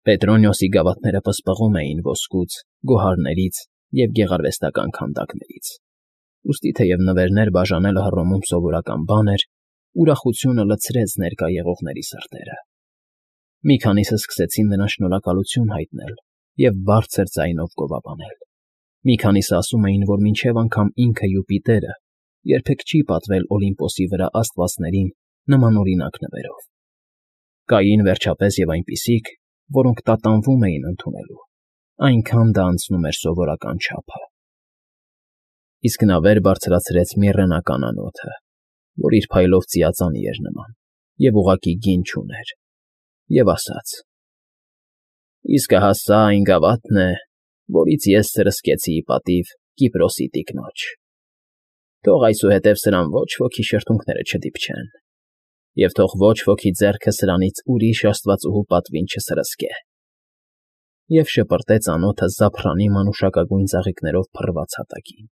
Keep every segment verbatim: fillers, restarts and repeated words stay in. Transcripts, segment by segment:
Պետրոնիոսի գավաթները պսպղում էին ոսկուց, գոհարներից և գեղարվեստական քանդակներից, ուստի թեև նվերներ բաժանելը Հռոմում սովորական բան էր, ուրախությունը լցրեց ներկա եղողների սրտերը։ Մի քանիսը սկսեցին նրան շնորհակալություն հայտնել և բարձր ձայնով գովաբանել։ Մի քանիսը ասում էին, որ մինչև անգամ ինքը Յուպիտերը երբեք չի պատվել Օլիմպոսի վրա աստվածներին նմանօրինակ նվերով։ Կային, վերջապես, և այնպիսիք, որոնք տատանվում էին ընդունելու, այնքան դա անցնում էր սովորական չափը։ Իսկ նա վեր բարձրացրեց միրրենական անոթը, որ իր փայլով ծիածանի էր նման և ուղղակի գին չուներ, և ասաց. «Իսկ ահա սա այն գավաթն է, որից ես սրսկեցի ի պատիվ Կիպրոսի տիկնոջ. թող այսուհետև սրան ոչ ոքի շրթունքները չդիպչեն, և թող ոչ ոքի ձեռքը սրանից ուրիշ աստվածուհու պատվին չսրսկե»։ Եվ շպրտեց անոթը զափռանի մանուշակագույն ծաղիկներով փռված հատակին,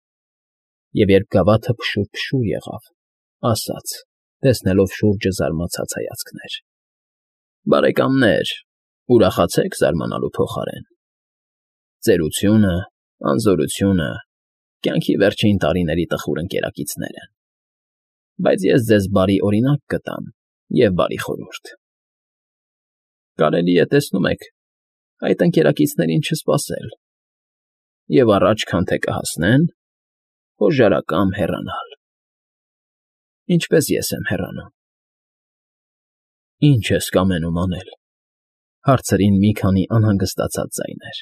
և երբ գավաթը փշուր֊փշուր եղավ, ասաց, տեսնելով շուրջը զարմացած հայացքներ. «Բարեկամներ, ուրախացե՞ք զարմանալու փոխարեն։ Ծերությունը, անզորությունը կյանքի վերջին տարիների տխուր ընկերակիցներ են, բայց ես ձեզ բարի օրինակ կտամ և բարի խորհուրդ. կարելի է, տեսնում եք, այդ ընկերակիցներին չսպասել և առաջ, քան թե կհասնեն, հոժարակամ հեռանալ, ինչպես ես եմ հեռանում»։ «Ի՞նչ ես կամենում անել», հարցրին մի քանի անհանգստացած ձայներ։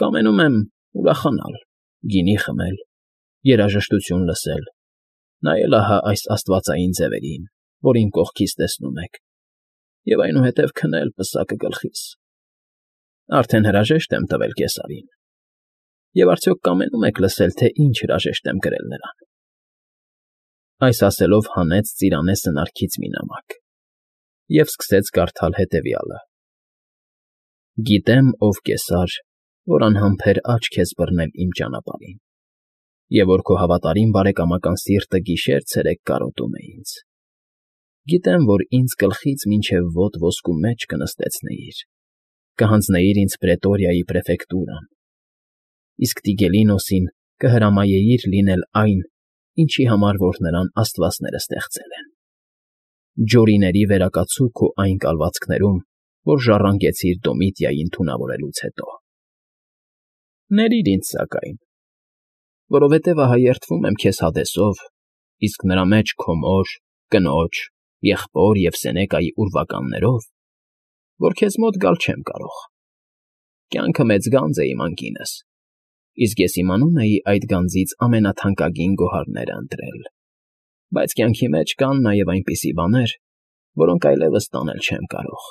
«Կամենում եմ ուրախանալ, գինի խմել, երաժշտություն լսել, նայել ահա այս աստվածային ձևերին, որ իմ կողքից տեսնում եք, և այնուհետև քնել պսակը գլխիս։ Արդեն հրաժեշտ եմ տվել կեսարին, և արդյոք կամենում եք լսել, թե ինչ հրաժեշտ եմ կրել նրան»։ Այս ասելով հանեց ծիրանե սնարքից մի նամակ և սկսեց կարդալ հետևյալը. «Գիտեմ, ով Կեսար, որ անհամբեր աչք ես բռնել իմ ճանապարհին, և որ քո հավատարիմ բարեկամական սիրտը գիշեր֊ցերեկ կարոտում է ինձ։ Գիտեմ, որ ինձ գլխից մինչև ոտ ոսկու մեջ կնստեցնեիր, կհանձնեիր ինձ Պրետորիայի պրեֆեկտուրան, իսկ Տիգելինոսին կհրամայեիր լինել այն, ինչի համար որ նրան աստվածները ստեղծել են։ Ջորիների վերակացու քո այն կալվածքներում, որ ժառանգեցիր Դոմիտիային թունավորելուց հետո։ Ներիր ինձ, սակայն, որովհետև ահա երդվում եմ քեզ Հադեսով, իսկ նրա մեջ քո մոր, կնոջ, եղբոր և Սենեկայի ուրվականներով, որ քեզ մոտ գալ չեմ կարող։ Կյանքը մեծ գանձ է իմ անկինս, իսկ ես իմանում էի այդ գանձից ամենաթանկագին գոհարները ընտրել, բայց կյանքի մեջ կան նաև այնպիսի բաներ, որոնք այլևս տանել չեմ կարող։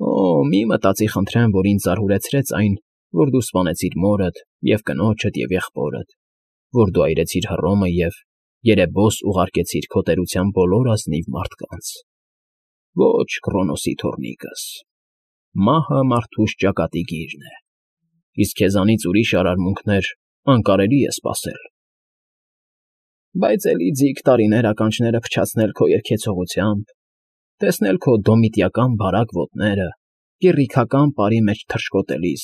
Օ՜, մի մտածի խնդրեմ, որ ինձ զարհուրեցրեց այն, որ դու սպանեցիր մորդ և կնոջդ և եղբորդ, որ դու այրեցիր Հռոմը և երեբոս ուղարկեցիր քո տերության բոլոր ազնիվ մարդկանց։ Ոչ, Քրոնոսի թոռնիկս, մահը մարդուս ճակատի գիրն է, իսկ քեզանից ուրիշ արարմունքներ անկարելի է սպասել։ Բայց էլի ձիգ տարիներ ականջները փչացնել քո երգեցողությամբ, տեսնել քո դոմիտիական բարակ ոտները կեռիքական պարի մեջ թռչկոտելիս,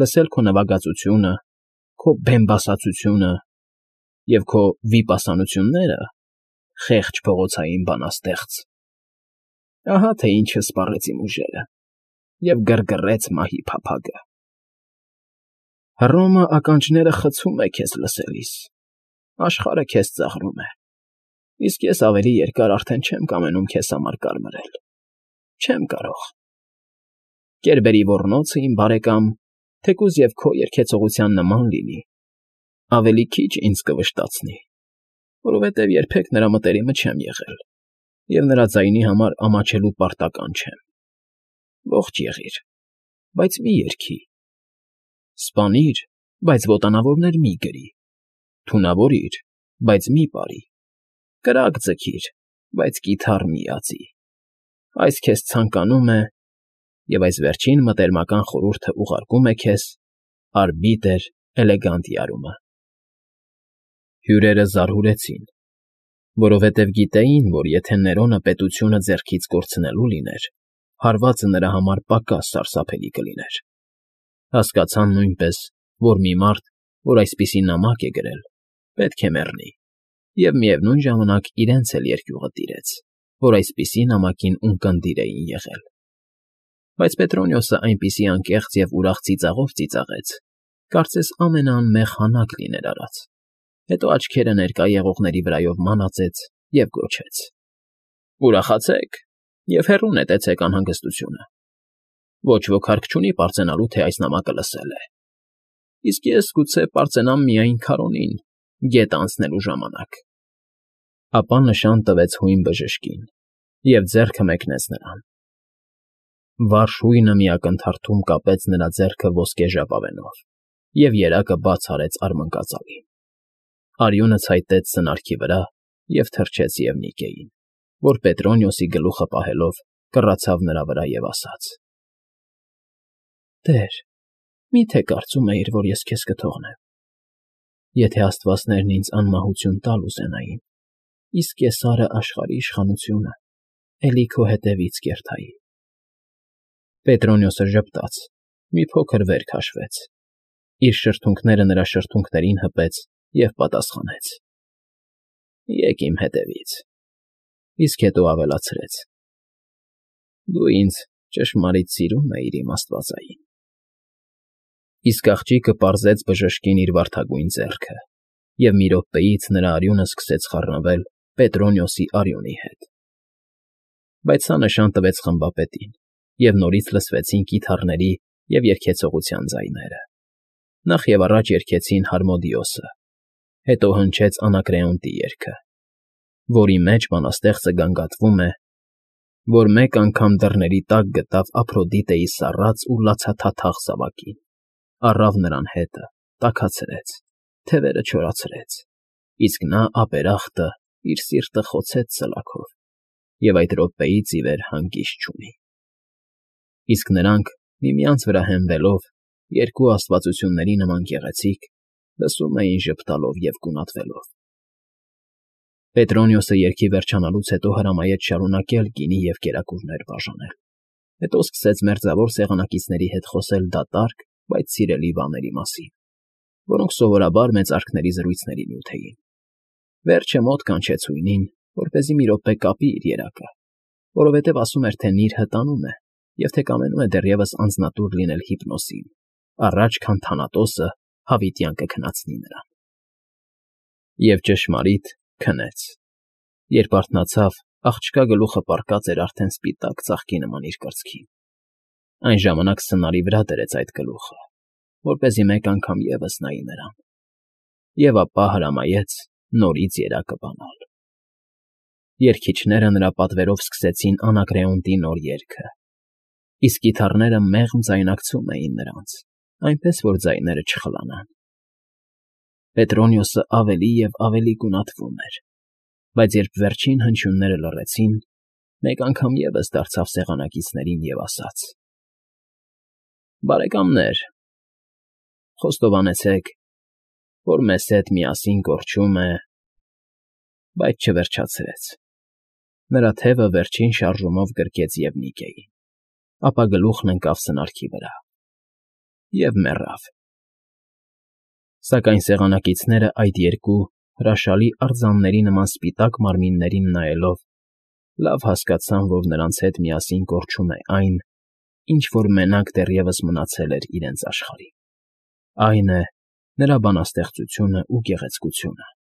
լսել քո նվագածությունը, քո բեմբասացությունը և քո վիպասանությունները, խեղճ փողոցային բանաստեղծ… Ահա թե ինչը սպառեց իմ ուժերը և գրգռեց մահի փափագը։ Հռոմը ականջները խցում է քեզ լսելիս, աշխարհը քեզ ծաղրում է, իսկ ես ավելի երկար արդեն չեմ կամենում քեզ համար կարմրել, չեմ կարող։ Կերբերի ոռնոցը, իմ բարեկամ, թեկուզ և քո երգեցողության նման լինի, ավելի քիչ ինձ կվշտացնի, որովհետև երբեք նրա մտերիմը չեմ եղել և նրա ձայնի համար ամաչելու պարտական չեմ։ Ողջ եղիր, բայց մի երգի։ Սպանիր, բայց ոտանավորներ մի գրի, թունավորիր, բայց մի պարի, կրակ ձգիր, բայց կիթառ մի ածի։ Այս քեզ ցանկանում է, և այս վերջին մտերմական խորհուրդը ուղարկում է քեզ արբիտր Էլեգանտիարումը։ Հյուրերը զարհուրեցին, որովհետև գիտեին, որ եթե Ներոնը պետությունը ձեռքից կորցնելու լիներ, հարվածը նրա համար պակաս սարսափելի կլիներ։ Հասկացան նույնպես, որ մի մարդ, որ այսպիսի նամակ է գրել, պետք է մեռնի, և միևնույն ժամանակ իրենց էլ երկյուղը տիրեց, որ այսպիսի նամակին ունկնդիր էին եղել։ Բայց Պետրոնիոսը այնպիսի անկեղծ և ուրախ ծիծաղով ծիծաղեց, կարծես ամենաանմեղ հանակ լիներ արած, հետո աչքերը ներկա եղողների վրայով մանածեց և գոչեց. «Ուրախացեք և հեռու նետեցեք անհանգստությունը. ոչ ոք հարկ չունի պարծենալու, թե այս նամակը լսել է, իսկ ես գուցե պարծենամ միայն Քարոնին, գետը անցնելու ժամանակ»։ Ապա նշան տվեց հույն բժշկին և ձեռքը մեկնեց նրան։ Վարժ հույնը մի ակնթարթում կապեց նրա ձեռքը ոսկե ժապավենով և երակը բաց արեց արմնկածալին։ Արյունը ցայտեց սնարքի վրա և թռչեց Եվնիկեին, որ Պետրոնիոսի գլուխը պահելով կռացավ նրա վրա և ասաց. «Տեր, մի՞թե կարծում էիր, որ ես քեզ կթողնեմ։ Եթե աստվածներն ինձ անմահություն տալ ուզենային, իսկ Կեսարը աշխարհի իշխանությունը, էլի քո հետևից կերթայի»։ Պետրոնիոսը ժպտաց, մի փոքր վեր քաշվեց, իր շրթունքները նրա շրթունքներին հպեց և պատասխանեց. «Եկ իմ հետևից», իսկ հետո ավելացրեց. «Դու ինձ ճշմարիտ սիրում էիր, իմ աստվածային»։ Իսկ աղջիկը պարզեց բժշկին իր վարդագույն ձեռքը, և մի րոպեից նրա արյունը սկսեց խառնվել Պետրոնիոսի արյունի հետ։ Բայց սա նշան տվեց խմբապետին, և նորից լսվեցին կիթառների և երգեցողության ձայները։ Նախ և առաջ երգեցին Հարմոդիոսը, հետո հնչեց Անակրեոնտի երգը, որի մեջ բանաստեղծը գանգատվում է, որ մեկ անգամ դռների տակ գտավ Ափրոդիտեի սառած ու լացաթաթախ զավակին, առավ նրան հետը, տաքացրեց, թևերը չորացրեց, իսկ նա ապերախտը իր սիրտը խոցեց սլաքով և այդ րոպեից ի վեր հանգիստ չունի։ Իսկ նրանք, միմյանց վրա հենվելով, երկու աստվածությունների նման գեղեցիկ, լսում էին ժպտալով և գունատվելով։ Պետրոնիոսը երգի վերջանալուց հետո հրամայեց շարունակել գինի և կերակուրներ բաժանել, հետո սկսեց մերձավոր սեղանակիցների հետ խոսել դատարկ, բայց սիրելի բաների մասին, որոնք սովորաբար մեծարքների զրույցների նյութ էին։ Վերջը մոտ կանչեց հույնին, որպեսզի մի րոպե կապի իր երակը, որովհետև ասում էր, թե նիրհը տանում է և թե կամենում է դեռևս անձնատուր լինել Հիպնոսին, առաջ քան Թանատոսը հավիտյան կքնացնի նրան։ Եվ ճշմարիտ քնեց։ Երբ արթնացավ, աղջկա գլուխը պառկած էր արդեն սպիտակ ծաղկի նման իր կրծքին։ Այն ժամանակ սնարի վրա դրեց այդ գլուխը, որպեսզի մեկ անգամ ևս նայի նրան, և ապա հրամայեց նորից երակը բանալ։ Երգիչները նրա պատվերով սկսեցին Անակրեոնտի նոր երգը, իսկ կիթառները մեղմ ձայնակցում էին նրանց, այնպես որ ձայները չխլանան։ Պետրոնիոսը ավելի և ավելի գունատվում էր, բայց երբ վերջին հնչյունները լռեցին, մեկ անգամ ևս դարձավ սեղանակիցներին և ասաց. «Բարեկամներ, խոստովանեցեք, որ մեզ հետ միասին կորչում է…» Բայց չվերջացրեց։ Նրա թևը վերջին շարժումով գրկեց Եվնիկեին, ապա գլուխն ընկավ սնարքի վրա և մեռավ։ Սակայն սեղանակիցները այդ երկու հրաշալի արձանների նման սպիտակ մարմիններին նայելով լավ հասկացան, որ նրանց հետ միասին կորչում է այն, ինչ որ մենակ դեռևս մնացել էր իրենց աշխարհին, այն է, նրա բանաստեղծությունն ու գեղեցկությունը։